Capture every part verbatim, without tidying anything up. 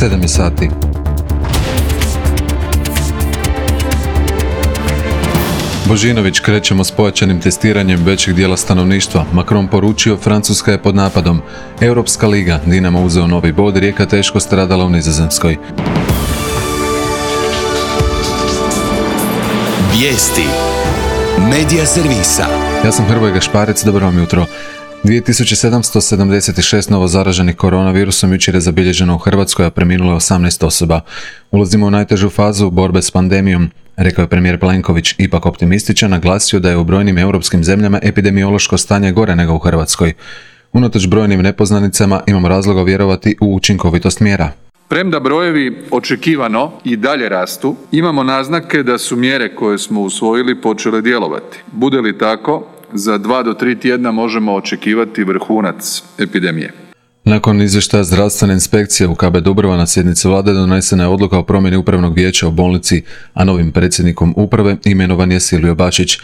sedam je sati. Božinović, krećemo s pojačanim testiranjem većeg dijela stanovništva. Macron poručio, Francuska je pod napadom. Europska liga, Dinamo uzeo novi bod, Rijeka teško stradala u Nizozemskoj. Vijesti Medija servisa. Ja sam Hrvoje Gašparec, dobro vam jutro. dvije tisuće sedamsto sedamdeset šest novo zaraženih koronavirusom jučer je zabilježeno u Hrvatskoj, a preminulo je osamnaest osoba. Ulazimo u najtežu fazu borbe s pandemijom, rekao je premijer Plenković, ipak optimističan, naglasio da je u brojnim europskim zemljama epidemiološko stanje gore nego u Hrvatskoj. Unatoč brojnim nepoznanicama imamo razloga vjerovati u učinkovitost mjera. Premda brojevi očekivano i dalje rastu, imamo naznake da su mjere koje smo usvojili počele djelovati. Bude li tako, za dva do tri tjedna možemo očekivati vrhunac epidemije. Nakon izvještaja zdravstvene inspekcije u K B Dubrava na sjednici vlade donesena je odluka o promjeni upravnog vijeća u bolnici, a novim predsjednikom uprave imenovan je Silvio Bačić.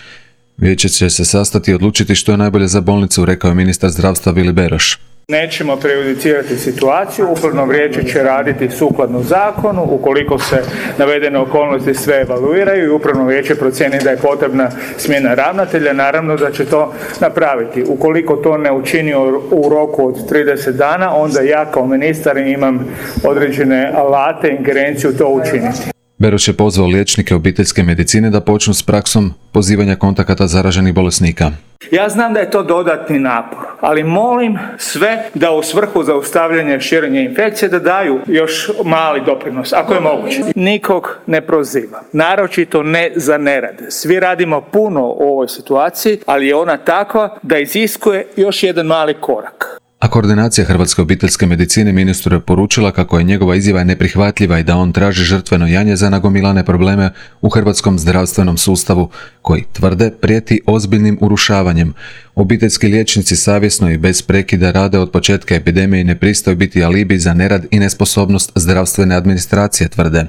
Vijeće će se sastati i odlučiti što je najbolje za bolnicu, rekao je ministar zdravstva Vili Beroš. Nećemo prejudicirati situaciju, upravno vijeće će raditi sukladno zakonu, ukoliko se navedene okolnosti sve evaluiraju i upravno vijeće procijeni da je potrebna smjena ravnatelja, naravno da će to napraviti. Ukoliko to ne učini u roku od trideset dana, onda ja kao ministar imam određene alate, ingerenciju to učiniti. Beroš je pozvao liječnike obiteljske medicine da počnu s praksom pozivanja kontakata zaraženih bolesnika. Ja znam da je to dodatni napor, ali molim sve da u svrhu zaustavljanja širenja infekcije da daju još mali doprinos, ako je moguće. Nikog ne proziva, naročito ne za nerad. Svi radimo puno u ovoj situaciji, ali je ona takva da iziskuje još jedan mali korak. A koordinacija Hrvatske obiteljske medicine ministru je poručila kako je njegova izjava neprihvatljiva i da on traži žrtveno janje za nagomilane probleme u hrvatskom zdravstvenom sustavu, koji, tvrde, prijeti ozbiljnim urušavanjem. Obiteljski liječnici savjesno i bez prekida rade od početka epidemije i ne pristaju biti alibi za nerad i nesposobnost zdravstvene administracije, tvrde.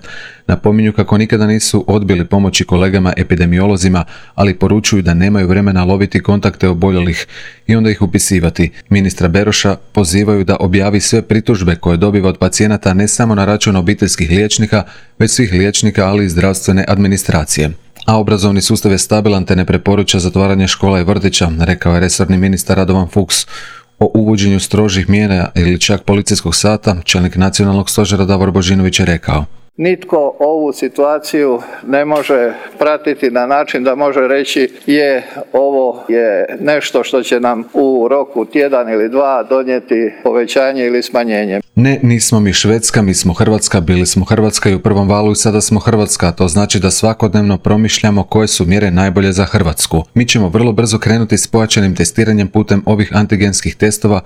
Napominju kako nikada nisu odbili pomoći kolegama epidemiolozima, ali poručuju da nemaju vremena loviti kontakte oboljelih i onda ih upisivati. Ministra Beroša pozivaju da objavi sve pritužbe koje dobiva od pacijenata ne samo na račun obiteljskih liječnika, već svih liječnika, ali i zdravstvene administracije. A obrazovni sustav je stabilan te ne preporuča zatvaranje škola i vrtića, rekao je resorni ministar Radovan Fuchs. O uvođenju strožih mjera ili čak policijskog sata, čelnik nacionalnog stožera Davor Božinović je rekao: Nitko ovu situaciju ne može pratiti na način da može reći je ovo je nešto što će nam u roku tjedan ili dva donijeti povećanje ili smanjenje. Ne, nismo mi Švedska, mi smo Hrvatska, bili smo Hrvatska i u prvom valu i sada smo Hrvatska, to znači da svakodnevno promišljamo koje su mjere najbolje za Hrvatsku. Mi ćemo vrlo brzo krenuti s pojačanim testiranjem putem ovih antigenskih testova,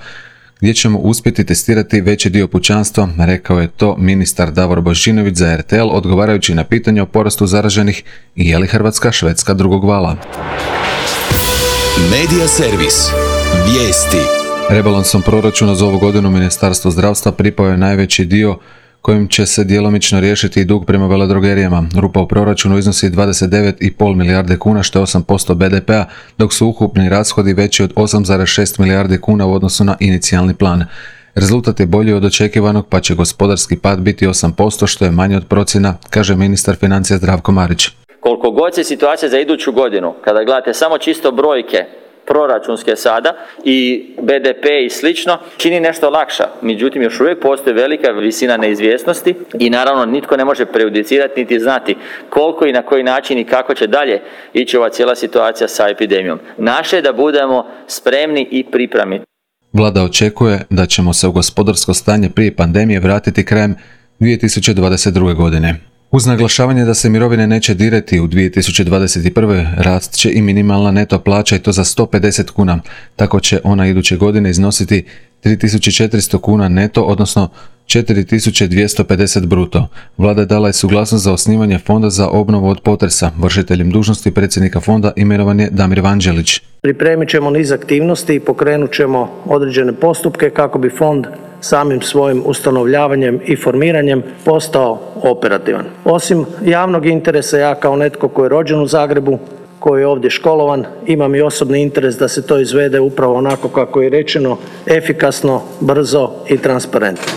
gdje ćemo uspjeti testirati veći dio pučanstva, rekao je to ministar Davor Božinović za R T L, odgovarajući na pitanje o porastu zaraženih i je li Hrvatska Švedska drugog vala. Medija servis. Vijesti. Rebalansom proračuna za ovu godinu Ministarstvo zdravstva pripao je najveći dio kojim će se djelomično riješiti i dug prema veledrogerijama. Rupa u proračunu iznosi dvadeset devet zarez pet milijarde kuna, što je osam posto B D P-a, dok su ukupni rashodi veći od osam zarez šest milijardi kuna u odnosu na inicijalni plan. Rezultat je bolji od očekivanog, pa će gospodarski pad biti osam posto, što je manje od procjena, kaže ministar financija Zdravko Marić. Koliko god se situacija za iduću godinu, kada gledate samo čisto brojke, proračunske sada i B D P i slično, čini nešto lakša. Međutim, još uvijek postoji velika visina neizvjesnosti i naravno nitko ne može prejudicirati niti znati koliko i na koji način i kako će dalje ići ova cijela situacija sa epidemijom. Naše je da budemo spremni i pripremni. Vlada očekuje da ćemo se u gospodarsko stanje prije pandemije vratiti krajem dvije tisuće dvadeset druge. godine. Uz naglašavanje da se mirovine neće dirati u dvije tisuće dvadeset prve. rast će i minimalna neto plaća i to za sto pedeset kuna. Tako će ona iduće godine iznositi tri tisuće četiristo kuna neto, odnosno četiri tisuće dvjesto pedeset bruto. Vlada dala je suglasnost za osnivanje fonda za obnovu od potresa. Vršiteljem dužnosti predsjednika fonda imenovan je Damir Vanđelić. Pripremit ćemo niz aktivnosti i pokrenut ćemo određene postupke kako bi fond samim svojim ustanovljavanjem i formiranjem postao operativan. Osim javnog interesa, ja kao netko koji je rođen u Zagrebu, koji je ovdje školovan, imam i osobni interes da se to izvede upravo onako kako je rečeno, efikasno, brzo i transparentno.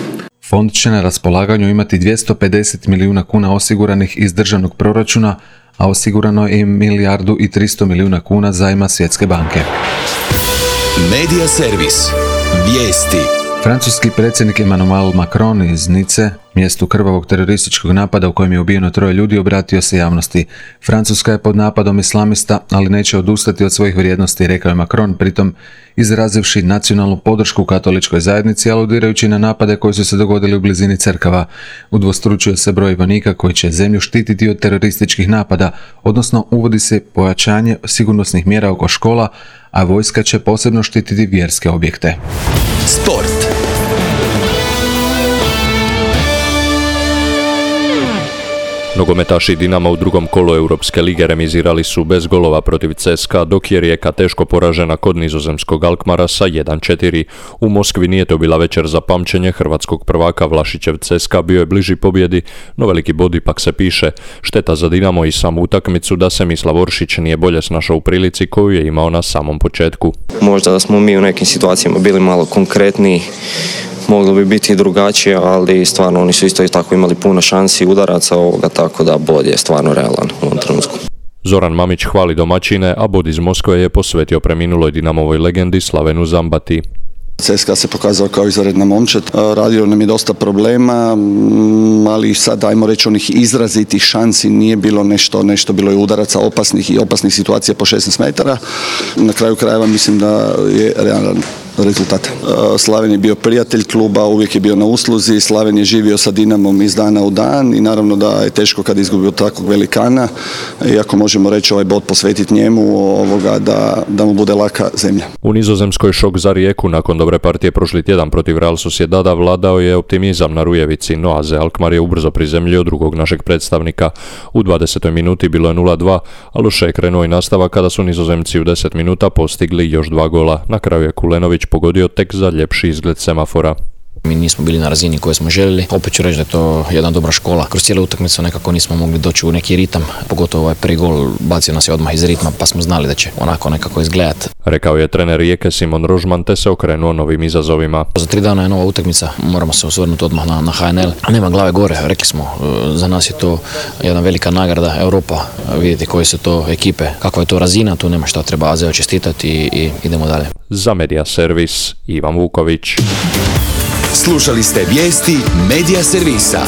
Fond će na raspolaganju imati dvjesto pedeset milijuna kuna osiguranih iz državnog proračuna, a osigurano je i milijardu i tristo milijuna kuna zajma Svjetske banke. Medija servis. Vijesti. Francuski predsjednik Emmanuel Macron iz Nice, mjestu krvavog terorističkog napada u kojem je ubijeno troje ljudi, obratio se javnosti. Francuska je pod napadom islamista, ali neće odustati od svojih vrijednosti, rekao je Macron, pritom izrazivši nacionalnu podršku katoličkoj zajednici, aludirajući na napade koji su se dogodili u blizini crkava. Udvostručio se broj vojnika koji će zemlju štititi od terorističkih napada, odnosno uvodi se pojačanje sigurnosnih mjera oko škola, a vojska će posebno štititi vjerske objekte. Sport. Nogometaši Dinama u drugom kolu Europske lige remizirali su bez golova protiv C S K A, dok je Rijeka teško poražena kod nizozemskog Alkmara sa jedan četiri. U Moskvi nije to bila večer za pamćenje hrvatskog prvaka. Vlašićev C S K A bio je bliži pobjedi, no veliki bod ipak se piše. Šteta za Dinamo i samu utakmicu da se Mislav Oršić nije bolje snašao u prilici koju je imao na samom početku. Možda da smo mi u nekim situacijama bili malo konkretniji, moglo bi biti drugačije, ali stvarno oni su isto i tako imali puno šansi udaraca ovoga, tako da bod je stvarno realan u ovom trenutku. Zoran Mamić hvali domaćine, a bod iz Moskve je posvetio preminuloj Dinamovoj legendi Slavenu Zambati. C S K A se pokazao kao izvanredna momčad, radio nam je dosta problema, ali sad ajmo reći onih izrazitih šansi nije bilo nešto, nešto bilo je udaraca opasnih i opasnih situacija po šesnaest metara. Na kraju krajeva mislim da je realan rezultat. Slaven je bio prijatelj kluba, uvijek je bio na usluzi, Slaven je živio sa Dinamom iz dana u dan i naravno da je teško kad izgubio takvog velikana, iako možemo reći ovaj bod posvetiti njemu, ovoga, da, da mu bude laka zemlja. U Nizozemskoj šok za Rijeku nakon dobre partije prošli tjedan protiv Real Sociedada vladao je optimizam na Rujevici, no A Z Alkmaar je ubrzo prizemljio drugog našeg predstavnika. U dvadesetoj minuti bilo je nula dva, a loše je krenuo i nastavak kada su Nizozemci u deset minuta postigli još dva gola. Na kraju je Kulenović pogodio tek za ljepši izgled semafora. Mi nismo bili na razini koju smo željeli. Opet ću reći da je to jedna dobra škola. Kroz cijelu utakmicu nekako nismo mogli doći u neki ritam. Pogotovo ovaj prvi gol bacio nas je odmah iz ritma, pa smo znali da će onako nekako izgledati. Rekao je trener Rijeke Simon Rožman, te se okrenuo novim izazovima. Za tri dana je nova utakmica, moramo se osvrnuti odmah na, na H N L. Nema glave gore, rekli smo, za nas je to jedna velika nagrada Europa. Vidite koje su to ekipe, kakva je to razina, tu nema šta, treba A Z čestitati i, i idemo dalje. Za Medija servis Ivan Vuković. Slušali ste vijesti Medija servisa.